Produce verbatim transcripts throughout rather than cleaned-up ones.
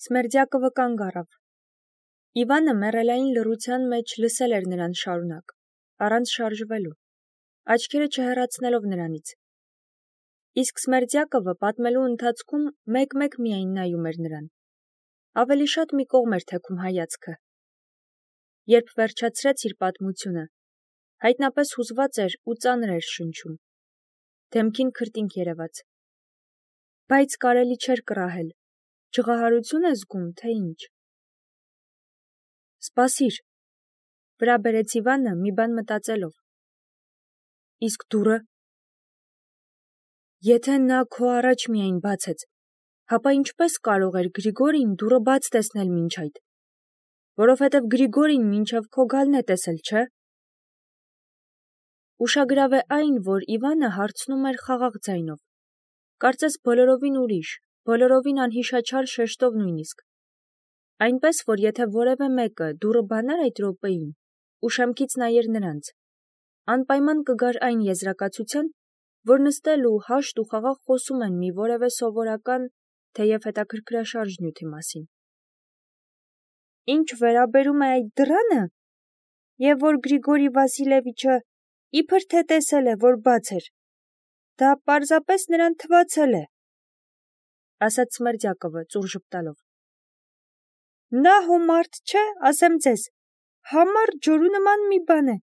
Սմերդյակովը կանգ առավ։ Իվանը մեռելային լռության մեջ լսել էր նրան շարունակ, առանց շարժվելու, աչքերը չհեռացնելով նրանից։ Իսկ Սմերդյակովը պատմելու ընթացքում մեկ-մեկ միայն նայում էր նրան։ Ավելի շատ մի կողմ էր թեքում հայացքը։ Երբ վերջացրեց իր պատմությունը, հայտնապես հուզված էր ու ծանր էր շնչում։ Դեմքին քրտինք երևաց։ Բայց կարելի չէր կռահել, ջղահարություն է զգում, թե ինչ։ Սպասիր, վրա բերեց Իվանը մի բան մտածելով։ Իսկ դուռը։ Եթե նա քո առաջ միայն բացեց, հապա ինչպես կարող էր Գրիգորին դուռը բաց տեսնել մինչ այդ։ Որովհետև Գրիգորին մինչև քո գալն է տեսել, չէ՞։ Ուշագրավ է այն, որ Իվանը հարցնում էր խաղաղ ձայնով, կարծես բոլորովին ուրիշ, բոլորովին անհիշաչար շեշտով նույնիսկ։ Այնպես, որ եթե որևէ մեկը դուռը բանար այդ րոպեին, ու շեմքից նայեր նրանց, անպայման կգար այն եզրակացության, որ նստել ու հաշտ ու խաղաղ խոսում են մի որևէ սովորական, թեև հետաքրքրաշարժ նյութի մասին։ Ինչ վերաբերում է այդ դռանը, եւ որ Գրիգորի Վասիլևիչը իբր թե տեսել է, որ բաց էր, դա պարզապես նրան թվացել է, ասաց Սմերդյակովը ծուռ ժպտալով։ Նա հո մարդ չէ, ասեմ ձեզ, համառ ջորու նման մի բան է,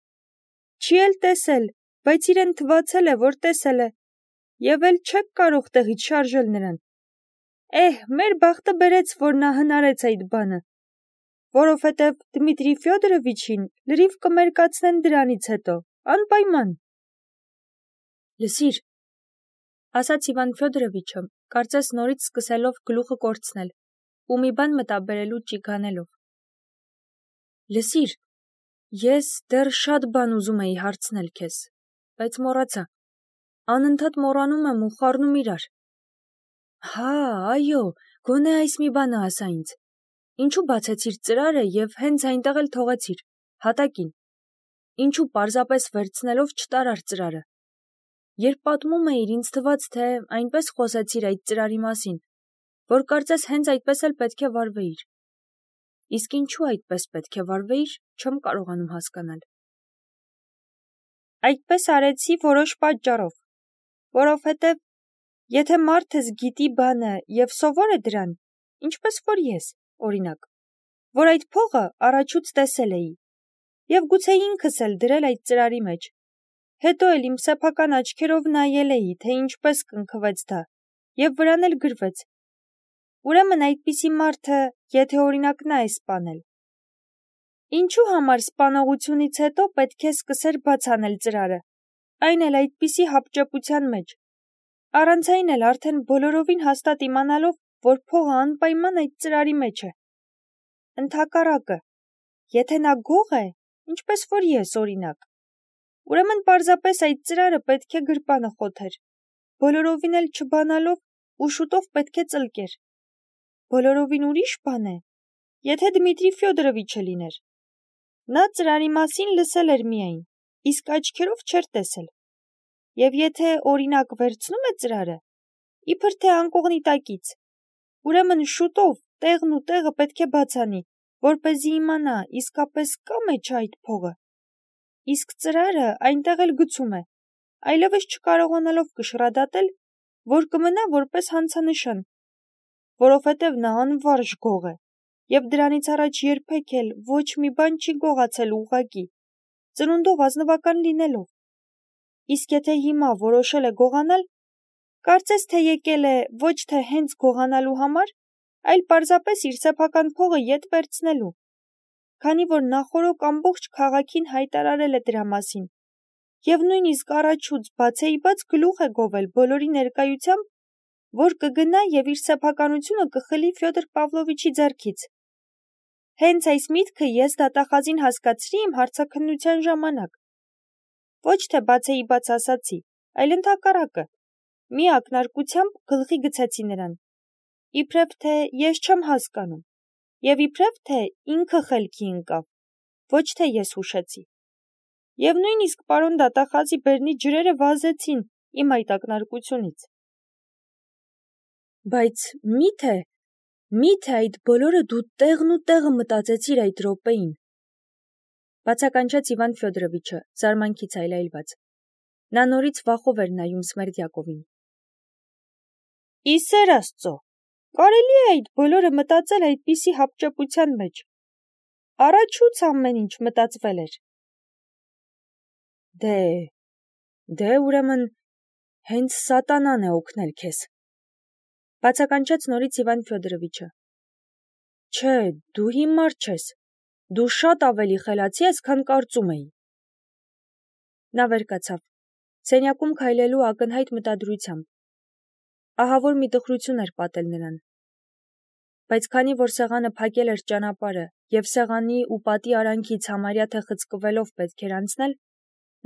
չի էլ տեսել, բայց իրեն թվացել է, որ տեսել է, եւ էլ չեք կարող տեղից շարժել նրան։ Էհ, մեր բախտը բերեց, որ նա հնարեց այդ բանը, որովհետև Դմիտրի Ֆյոդորովիչին լրիվ կմերկացնեն դրանից հետո, անպայման։ Լսիր, ասաց Իվան Ֆյոդորովիչը, կարծես նորից սկսելով գլուխը կորցնել, ու մի բան մտաբերելու ճիգանելով։ Լսիր, ես դեռ շատ բան ուզում էի հարցնել քեզ, բայց մոռացա, անընդհատ մոռանում եմ ու խառնում իրար։ Հա, այո, գոնե այս մի բանը ասա ինձ, ինչու բացեցիր ծրարը և հենց այնտեղ էլ թողեցիր, հատակին, ինչու պարզապես վերցնելով չտարար ծրարը։ Երբ պատմում էիր, ինձ թվաց, թե այնպես խոսեցիր այդ ծրարի մասին, որ կարծես հենց այդպես էլ պետք է վարվեիր։ Իսկ ինչու այդպես պետք է վարվեիր, չեմ կարողանում հասկանալ։ Այդպես արեցի որոշ պատճառով, որովհետև եթե մարդս գիտի բանը և սովոր է դրան, ինչպես որ ես, օրինակ, որ այդ փողը առաջուց տեսել էի, և գուցե ինքս էլ դրել այդ ծրարի մեջ, հետո էլ իմ սեփական աչքերով նայել էի, թե ինչպես կնքվեց դա, և վրան էլ գրվեց, ուրեմն այդպիսի մարդը, եթե օրինակ նա է սպանել, ինչու համար սպանողությունից հետո պետք է սկսեր բաց անել ծրարը, այն էլ այդպիսի հապճեպության մեջ, առանց այն էլ արդեն բոլորովին հաստատ իմանալով, որ փողը անպայման այդ ծրարի մեջ է։ Ընդհակառակը, եթե նա գող է, ինչպես որ ես, օրինակ, ուրեմն պարզապես այդ ծրարը պետք է գրպանը խոթեր, բոլորովին էլ չբանալով ու շուտով պետք է ծլկեր։ Բոլորովին ուրիշ բան է, եթե Դմիտրի Ֆյոդորովիչը լիներ։ Նա ծրարի մասին լսել էր միայն, իսկ աչքերով չէր տեսել։ Եվ եթե օրինակ վերցնում է ծրարը, իբր թե անկողնի տակից, ուրեմն շուտով տեղն ու տեղը պետք է բացանի, որպեսզի իմանա իսկապես կա մեջ այդ փողը։ Իսկ ծրարը այնտեղ էլ գցում է, այլևս չկարողանալով կշռադատել, որ կմնա որպես հանցանշան, որովհետև նա անվարժ գող է, և դրանից առաջ երբեք էլ ոչ մի բան չի գողացել ուղղակի, ծնունդով ազնվական լինելով։ Իսկ եթե հիմա որոշել է գողանալ, կարծես թե եկել է ոչ թե հենց գողանալու համար, այլ պարզապես իր սեփական փողը ետ վերցնելու, քանի որ նախօրոք ամբողջ քաղաքին հայտարարել է դրա մասին, և նույնիսկ առաջուց բացեիբաց գլուխ է գովել բոլորի ներկայությամբ, որ կգնա և իր սեփականությունը կխլի Ֆյոդոր Պավլովիչի ձեռքից։ Հենց այս միտքը ես դատախազին հասկացրի իմ հարցաքննության ժամանակ։ Ոչ թե բացեիբաց ասացի, այլ ընդհակառակը, մի ակնարկությամբ գլխի գցեցի նրան, իբրև թե ես չեմ հասկանում, և իբրև թե ինքը խելքի ընկավ, ոչ թե ես հուշեցի։ Եվ նույնիսկ պարոն դատախազի բերնի ջրերը վազեցին իմ այդ ակնարկությունից։ Բայց մի՞թե, Մի՞թե այդ բոլորը դու տեղն ու տեղը մտածեցիր այդ րոպեին, բացականչեց Իվան Ֆյոդորովիչը, զարմանքից այլայլված։ Նա նորից վախով էր նայում Սմերդյակովին։ Ի սեր Աստծո, կարելի է այդ բոլորը մտածել այդպիսի հապճեպության մեջ։ Առաջուց ամեն ինչ մտածվել էր։ Դե, դե ուրեմն հենց սատանան է օգնել քեզ, բացականչեց նորից Իվան Ֆյոդորովիչը։ Չէ, դու հիմար չես, դու շատ ավելի խելացի ես, քան կարծում էի։ Նա վեր կացավ, սենյակում քայլելու ակնհայտ մտադրությամբ։ Ահավոր մի տխրություն էր պատել նրան։ Բայց քանի որ սեղանը փակել էր ճանապարհը եւ սեղանի ու պատի արանքից համարյա թե խցկվելով պետք էր անցնել,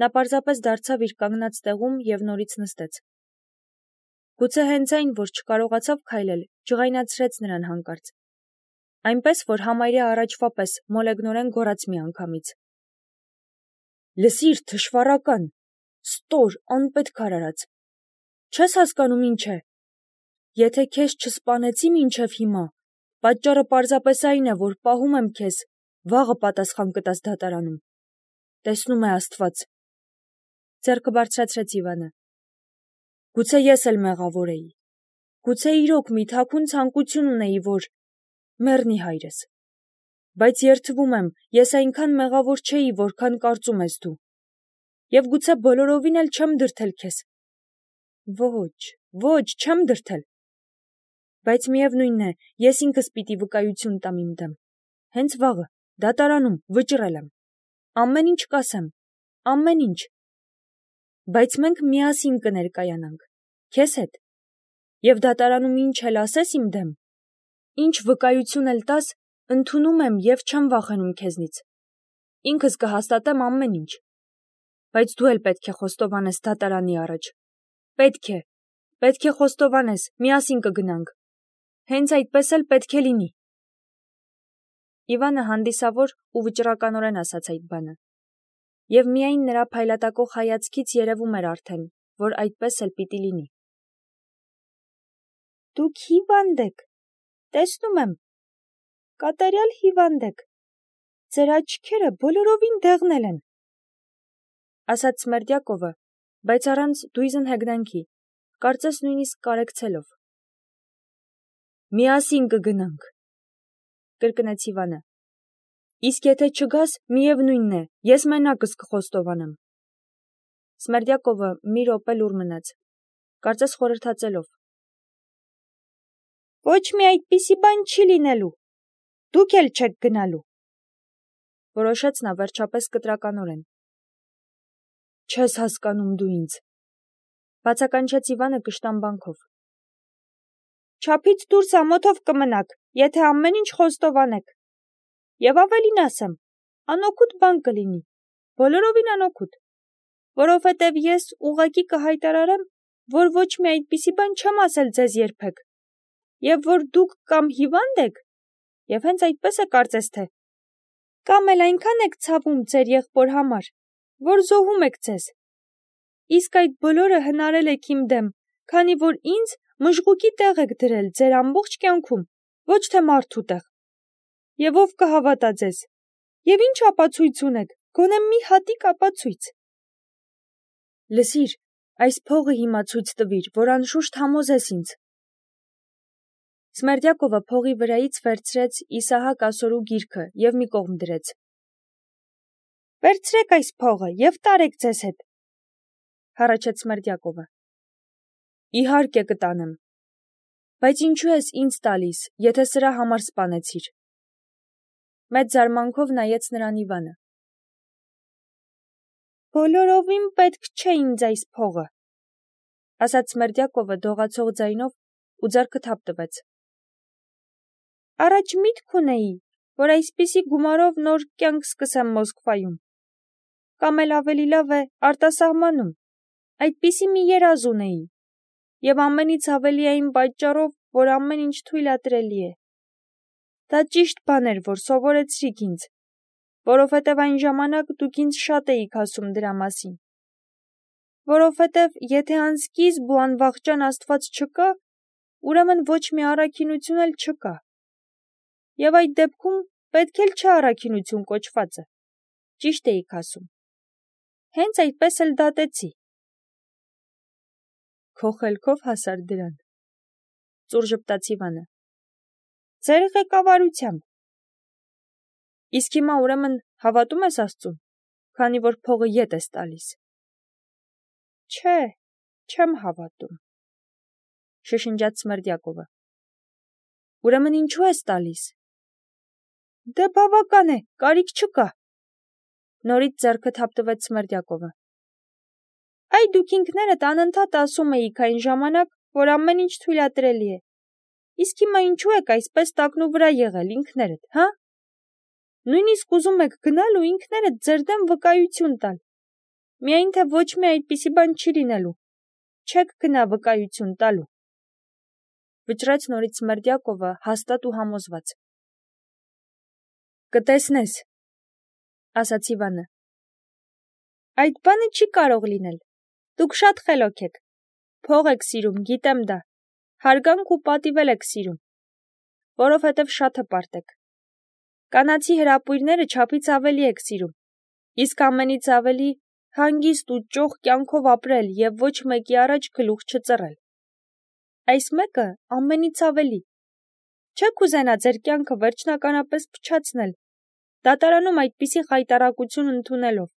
նա պարզապես դարձավ իր կանգնած տեղում եւ նորից նստեց։ Գուցե հենց այն, որ չկարողացավ քայլել, ջղայնացրեց նրան հանկարծ։ Այնպես, որ համարյա առաջվա պես մոլեգնորեն գոռաց մի անգամից. Լսիր, թշվառական, ստոր, անպետք արարած, չես հասկանում ինչ է։ Եթե քեզ չսպանեցի մինչև հիմա, պատճառը պարզապես այն է, որ պահում եմ քեզ, վաղը պատասխան կտաս դատարանում։ Տեսնում է Աստված։ Ձեռքը բարձրացրեց Իվանը։ Գուցե ես էլ մեղավոր էի։ Գուցե իրոք մի թաքուն ցանկություն ունեի, որ մեռնի հայրս։ Բայց երդվում եմ, ես այնքան մեղավոր չէի, որքան կարծում ես դու։ Եվ գուցե բոլորովին էլ չեմ դրդել քեզ։ Ոչ, ոչ, չեմ դրդել։ Բայց միևնույնն է, ես ինքս պիտի վկայություն տամ իմ դեմ։ Հենց վաղը, դատարանում, վճռել եմ։ Ամեն ինչ կասեմ, ամեն ինչ։ Բայց մենք միասին կներկայանանք, քեզ հետ։ Եվ դատարանում ինչ էլ ասես իմ դեմ, ինչ վկայություն էլ տաս, ընդունում եմ եւ չեմ վախենում քեզնից։ Ինքս կհաստատեմ ամեն ինչ։ Բայց դու էլ պետք է խոստովանես դատարանի առաջ։ Պետք է, պետք է խոստովանես, միասին կգնանք։ Հենց այդպես էլ պետք է լինի։ Իվանը հանդիսավոր ու վճռականորեն ասաց այդ բանը։ Եվ միայն նրա փայլատակող հայացքից երևում էր արդեն, որ այդպես էլ պիտի լինի։ Դուք հիվանդ եք, տեսնում եմ, կատարյալ հիվանդ եք, ձեր աչքերը բոլորովին դեղնել են, ասաց Սմերդյակովը, բայց առանց դույզն հեգնանքի, կարծես նույնիսկ կարեկցելով։ Միասին կգնանք, կրկնեց Իվանը։ Իսկ եթե չգաս, միևնույնն է, ես մենակս կխոստովանեմ։ Սմերդյակովը մի րոպե լուռ մնաց, կարծես խորհրդածելով։ Ոչ մի այդպիսի բան չի լինելու, դուք էլ չեք գնալու, որոշեց նա վերջապես կտրականորեն։ Չես հասկանում դու ինձ, բացականչեց Իվանը կշտամբանքով։ Չափից դուրս ամոթով կմնաք, եթե ամեն ինչ խոստովանեք։ Եվ ավելին ասեմ, անօգուտ բան կլինի, բոլորովին անօգուտ, որովհետև ես ուղղակի կհայտարարեմ, որ ոչ մի այդպիսի բան չեմ ասել ձեզ երբեք, եւ որ դուք կամ հիվանդ եք, եւ հենց այդպես է կարծես թե, կամ էլ այնքան եք ցավում ձեր եղբոր համար, որ զոհում եք ձեզ։ Իսկ այդ բոլորը հնարել եք իմ դեմ, քանի որ ինձ մժղուկի տեղ եք դրել ձեր ամբողջ կյանքում, ոչ թե մարդու տեղ։ Եվ ով կհավատա ձեզ։ Եվ ինչ ապացույց ունեք, գոնե մի հատիկ ապացույց։ Լսիր, այս փողը հիմա ցույց տվիր, որ անշուշտ համոզես ինձ։ Սմերդյակովը փողի վրայից վերցրեց Իսահակ Ասորու գիրքը եւ մի կողմ դրեց։ Վերցրեք այս փողը եւ տարեք ձեզ հետ, հառաչեց Սմերդյակովը։ Իհարկե կտանեմ։ Բայց ինչու ես ինձ տալիս, եթե սրա համար սպանեցիր։ Մեծ զարմանքով նայեց նրան Իվանը։ Բոլորովին պետք չէ ինձ այս փողը, ասաց Սմերդյակովը դողացող ձայնով ու ձեռքը թափ տվեց։ Առաջ միտք ունեի, որ այսպիսի գումարով նոր կյանք սկսեմ Մոսկվայում։ Կամ էլ ավելի լավ է արտասահմանում, այդպիսի մի երազ ունեի։ Եվ ամենից ավելի այն պատճառով, որ ամեն ինչ թույլատրելի է։ Դա ճիշտ բան էր, որ սովորեցրիք ինձ, որովհետև այն ժամանակ դուք ինձ շատ էիք ասում դրա մասին։ Որովհետև եթե անսկիզբ ու անվախճան Աստված չկա, ուրեմն ոչ մի առաքինություն էլ չկա։ Եվ այդ դեպքում պետք էլ չէ առաքինություն կոչվածը։ Ճիշտ էիք ասում։ Հենց այդպես էլ դատեցի։ Քո խելքով հասար դրան։ Ծուռ ժպտաց Իվանը։ Ձեր ղեկավարությամբ։ Իսկ հիմա ուրեմն հավատում ես Աստծուն, քանի որ փողը ետ ես տալիս։ Չէ, չեմ հավատում, շշնջաց Սմերդյակովը։ Ուրեմն ինչու ես տալիս։ Դե բավական է, կարիք չկա։ Նորից ձեռքը թափտվեց Սմերդյակովը։ Այ դուք ինքներդ անընդհատ ասում էիք այն ժամանակ, որ ամեն ինչ թույլատրելի է։ Իսկ հիմա ինչու եք այսպես տակնու վրա եղել ինքներդ, հա։ Նույնիսկ ուզում եք գնալ ու ինքներդ ձեր դեմ վկայություն տալ։ Միայն թե ոչ մի այդպիսի բան չի լինելու։ Չեք գնա վկայություն տալու։ Վճռեց նորից Սմերդյակովը հաստատ ու համոզված։ Կտեսնես, ասաց Իվանը։ Այդ բանը չի կարող լինել։ Դուք շատ խելոք եք։ Փող եք սիրում, գիտեմ դա։ Հարգանք ու պատիվ եք սիրում, որովհետև շատ հպարտ եք։ Կանացի հրապույրները չափից ավելի եք սիրում, իսկ ամենից ավելի հանգիստ ու ճոխ կյանքով ապրել և ոչ մեկի առաջ գլուխ չծռել։ Այս մեկը ամենից ավելի։ Չեք ուզենա ձեր կյանքը վերջնականապես փչացնել, դատարանում այդպիսի խայտառակություն ընդունելով։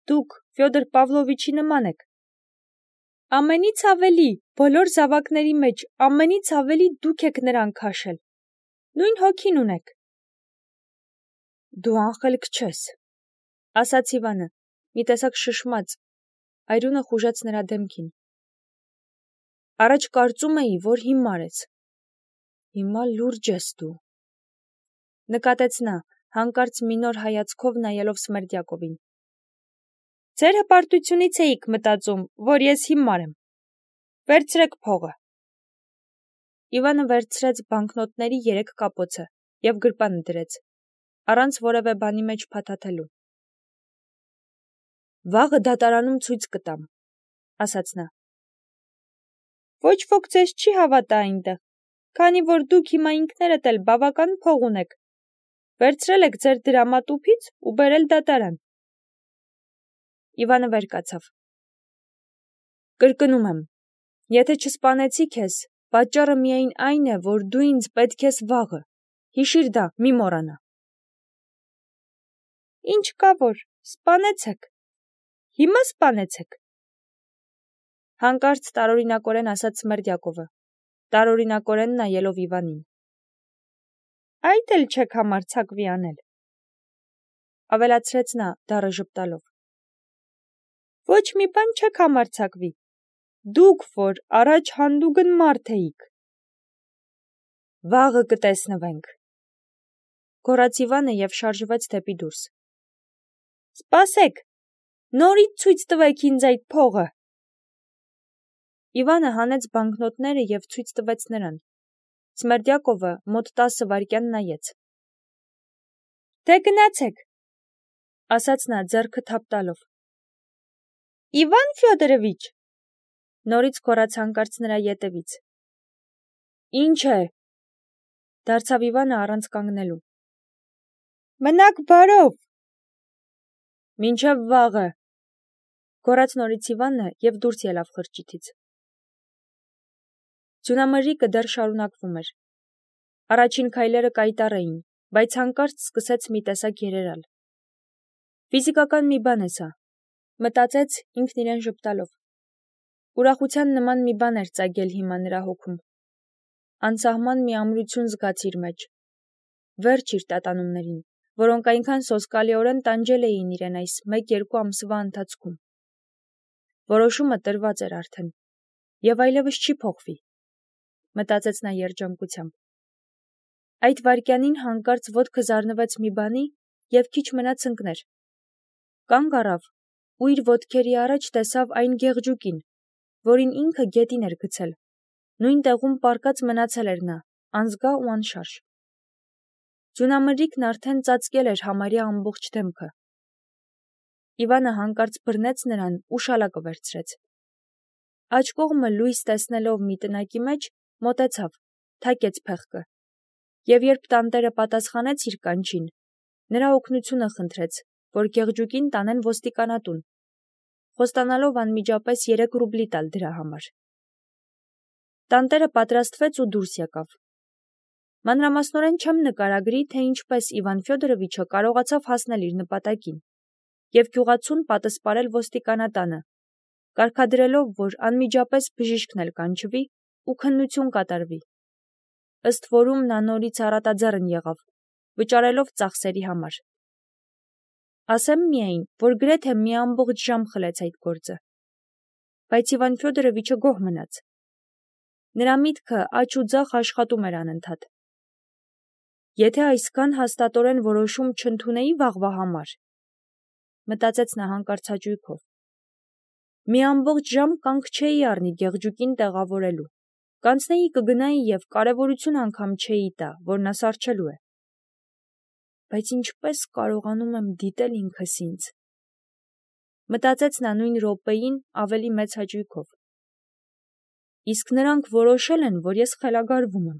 Դուք Ֆյոդոր Պավլովիչի նման եք։ Ամենից ավելի, բոլոր զավակների մեջ, ամենից ավելի դուք եք նրան քաշել։ Նույն հոգին ունեք։ Դու անխելք չես, ասաց Իվանը, մի տեսակ շշմած, այրունը խուժեց նրա դեմքին։ Առաջ կարծում էի, որ հիմար ես։ Հիմա լուրջ ես դու։ Նկատեց նա, հանկարծ մի նոր հայացքով նայելով Սմերդյակովին։ Ձեր հպարտությունից էիք մտածում, որ ես հիմար եմ։ Վերցրեք փողը։ Իվանը վերցրեց բանկնոտների երեք կապոցը և գրպանը դրեց, առանց որևէ բանի մեջ փաթաթելու։ Վաղը դատարանում ցույց կտամ, ասաց նա։ Ոչ ոք ձեզ չի հավատա այնտեղ, քանի որ դուք հիմա ինքներդ էլ բավական փող ունեք։ Վերցրել եք ձեր դրամատուփից ու բերել դատարան։ Իվանը վեր կացավ։ Կրկնում եմ, եթե չսպանեցի քեզ, պատճառը միայն այն է, որ դու ինձ պետք ես վաղը։ Հիշիր դա, մի մոռանա։ Ինչ կա որ, սպանեցեք։ Հիմա սպանեցեք։ Հանկարծ տարօրինակորեն ասաց Սմերդյակովը, տարօրինակորեն նայելով Իվանին։ Այդ էլ չեք համարձակվի անել։ Ավելացրեց նա, դառը ժպտալով։ Ոչ մի բան չեք համարձակվի։ Դուք, որ առաջ հանդուգն մարդ էիք։ Վաղը կտեսնվենք։ Գոռաց Իվանը և շարժվեց դեպի դուրս։ Սպասեք, նորից ցույց տվեք ինձ այդ փողը։ Իվանը հանեց բանկնոտները և ցույց տվեց նրան։ Սմերդյակովը մոտ տասը վայրկյան նայեց։ Դե գնացեք, ասաց նա ձեռքը թափտալով։ Իվան Ֆյոդորովիչ, նորից գոռաց հանկարծ նրա ետևից։ Ինչ է, դարձավ Իվանը առանց կանգնելու։ Մնաք բարով։ Մինչև վաղը, գոռաց նորից Իվանը և դուրս ելավ խրճիթից։ Ձյունամրրիկը դեռ շարունակվում էր։ Առաջին քայլերը կայտառ էին, բայց հանկարծ սկսեց մի տեսակ երերալ։ Ֆիզիկական մի բան է սա, մտածեց ինքն իրեն ժպտալով։ Ուրախության նման մի բան էր ծագել հիմա նրա հոգում։ Անսահման մի ամրություն զգաց իր մեջ։ Վերջ իր տատանումներին, որոնք այնքան սոսկալիորեն տանջել էին իրեն այս մեկ-երկու ամսվա ընթացքում։ Որոշումը տրված էր արդեն, և այլևս չի փոխվի, մտածեց նա երջանկությամբ։ Այդ վայրկյանին հանկարծ ոտքը զարնվեց մի բանի և քիչ մնաց ընկներ։ Կանգ առավ ու իր ոտքերի առաջ տեսավ այն գեղջուկին, որին ինքը գետին էր գցել։ Նույն տեղում պառկած մնացել էր նա, անզգա ու անշարժ։ Ձյունամրրիկն արդեն ծածկել էր համարյա ամբողջ դեմքը։ Իվանը հանկարծ բռնեց նրան ու շալակը վերցրեց։ Աջ կողմը լույս տեսնելով մի տնակի մեջ, մոտեցավ, թակեց փեղկը Եվ երբ տանտերը պատասխանեց իր կանչին, նրա օգնությունը խնդրեց, որ Գեղջուկին տանեն ոստիկանատուն, խոստանալով անմիջապես երեք ռուբլի տալ դրա համար։ Տանտերը պատրաստվեց ու դուրս եկավ։ Մանրամասնորեն չեմ նկարագրի, թե ինչպես Իվան Ֆյոդորովիչը կարողացավ հասնել իր նպատակին և գյուղացուն պատսպարել ոստիկանատանը, կարգադրելով, որ անմիջապես բժիշկն էլ կանչվի ու քննություն կատարվի, ըստ որում նա նորից առատաձեռն եղավ, վճարելով ծախսերի համար։ Ասեմ միայն, որ գրեթե մի ամբողջ ժամ խլեց այդ գործը, բայց Իվան Ֆյոդորովիչը գոհ մնաց։ Նրա միտքը աջ ու ձախ աշխատում էր անընդհատ։ Եթե այսքան հաստատորեն որոշում չընդունեի վաղվա համար, մտածեց նա հանկարծաճույքով, մի ամբողջ ժամ կանգ չէի առնի Գեղջուկին տեղավորելու, կանցնեի կգնայի և կարևորություն անգամ չէի տա, որ նա սառչելու է։ Բայց ինչպես կարողանում եմ դիտել ինքս ինձ, մտածեց նա նույն րոպեին ավելի մեծ հաճույքով։ Իսկ նրանք որոշել են, որ ես խելագարվում եմ։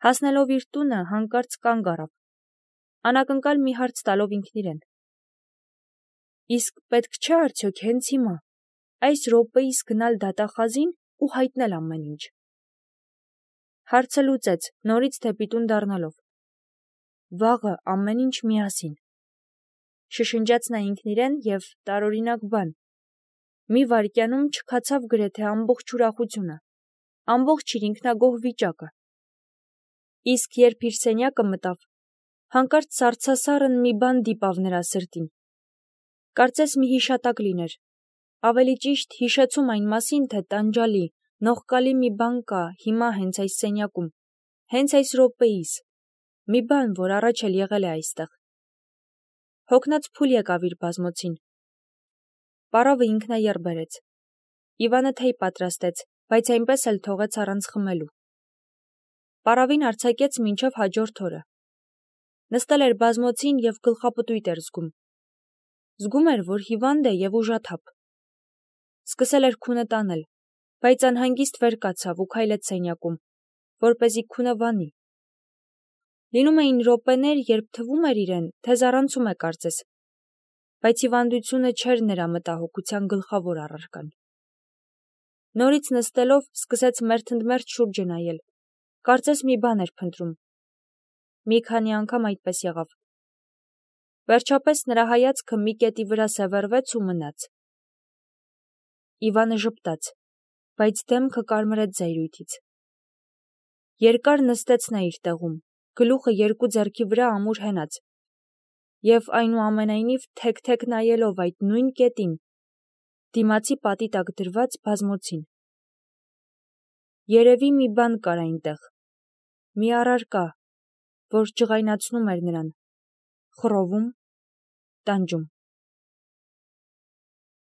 Հասնելով իր տունը, հանկարծ կանգ առավ, անակնկալ մի հարց տալով ինքն իրեն. Իսկ պետք չէ արդյոք հենց հիմա, այս րոպեիս գնալ դատախազին ու հայտնել ամեն ինչ։ Հարցը լուծեց, նորից դեպի տուն դառնալով. Վաղը ամեն ինչ միասին։ Շշնջաց նա ինքն իրեն և տարօրինակ բան, մի վայրկյանում չքացավ գրեթե ամբողջ ուրախությունը, ամբողջ իր ինքնագոհ վիճակը։ Իսկ երբ իր սենյակը մտավ, հանկարծ սառցասառն մի բան դիպավ նրա սրտին։ Կարծես մի հիշատակ լիներ, ավելի ճիշտ հիշեցում այն մասին, թե տանջալի, նողկալի մի բան կա հիմա հենց այս սենյակում, հենց այս րոպեիս, մի բան, որ առաջ էլ եղել է այստեղ։ Հոգնած փուլ եկավ իր բազմոցին։ Պարավը ինքնաեռ բերեց։ Իվանը թեյ պատրաստեց, բայց այնպես էլ թողեց առանց խմելու։ Պարավին արձակեց մինչև հաջորդ օրը։ Նստել էր բազմոցին և գլխապտույտ էր զգում։ Զգում էր, որ հիվանդ է և ուժաթափ։ Սկսել էր քունը տանել, բայց անհանգիստ վեր կացավ ու քայլեց սենյակում, որպեսզի քունը վանի։ Լինում էին րոպեներ, երբ թվում էր իրեն, թե զառանցում է կարծես, բայց հիվանդությունը չէր նրա մտահոգության գլխավոր առարկան։ Նորից նստելով սկսեց մերթընդմերթ շուրջը նայել, կարծես մի բան էր փնտրում։ Մի քանի անգամ այդպես եղավ։ Վերջապես նրա հայացքը մի կետի վրա սևեռվեց ու մնաց։ Իվանը ժպտաց, բայց դեմքը կարմրեց զայրույթից։ Երկար նստեց նա իր տեղում, գլուխը երկու ձեռքի վրա ամուր հենած, և այնուամենայնիվ թեք-թեք նայելով այդ նույն կետին, դիմացի պատի տակ դրված բազմոցին։ Երևի մի բան կար այնտեղ, մի առարկա, որ ջղայնացնում էր նրան, խռովում, տանջում։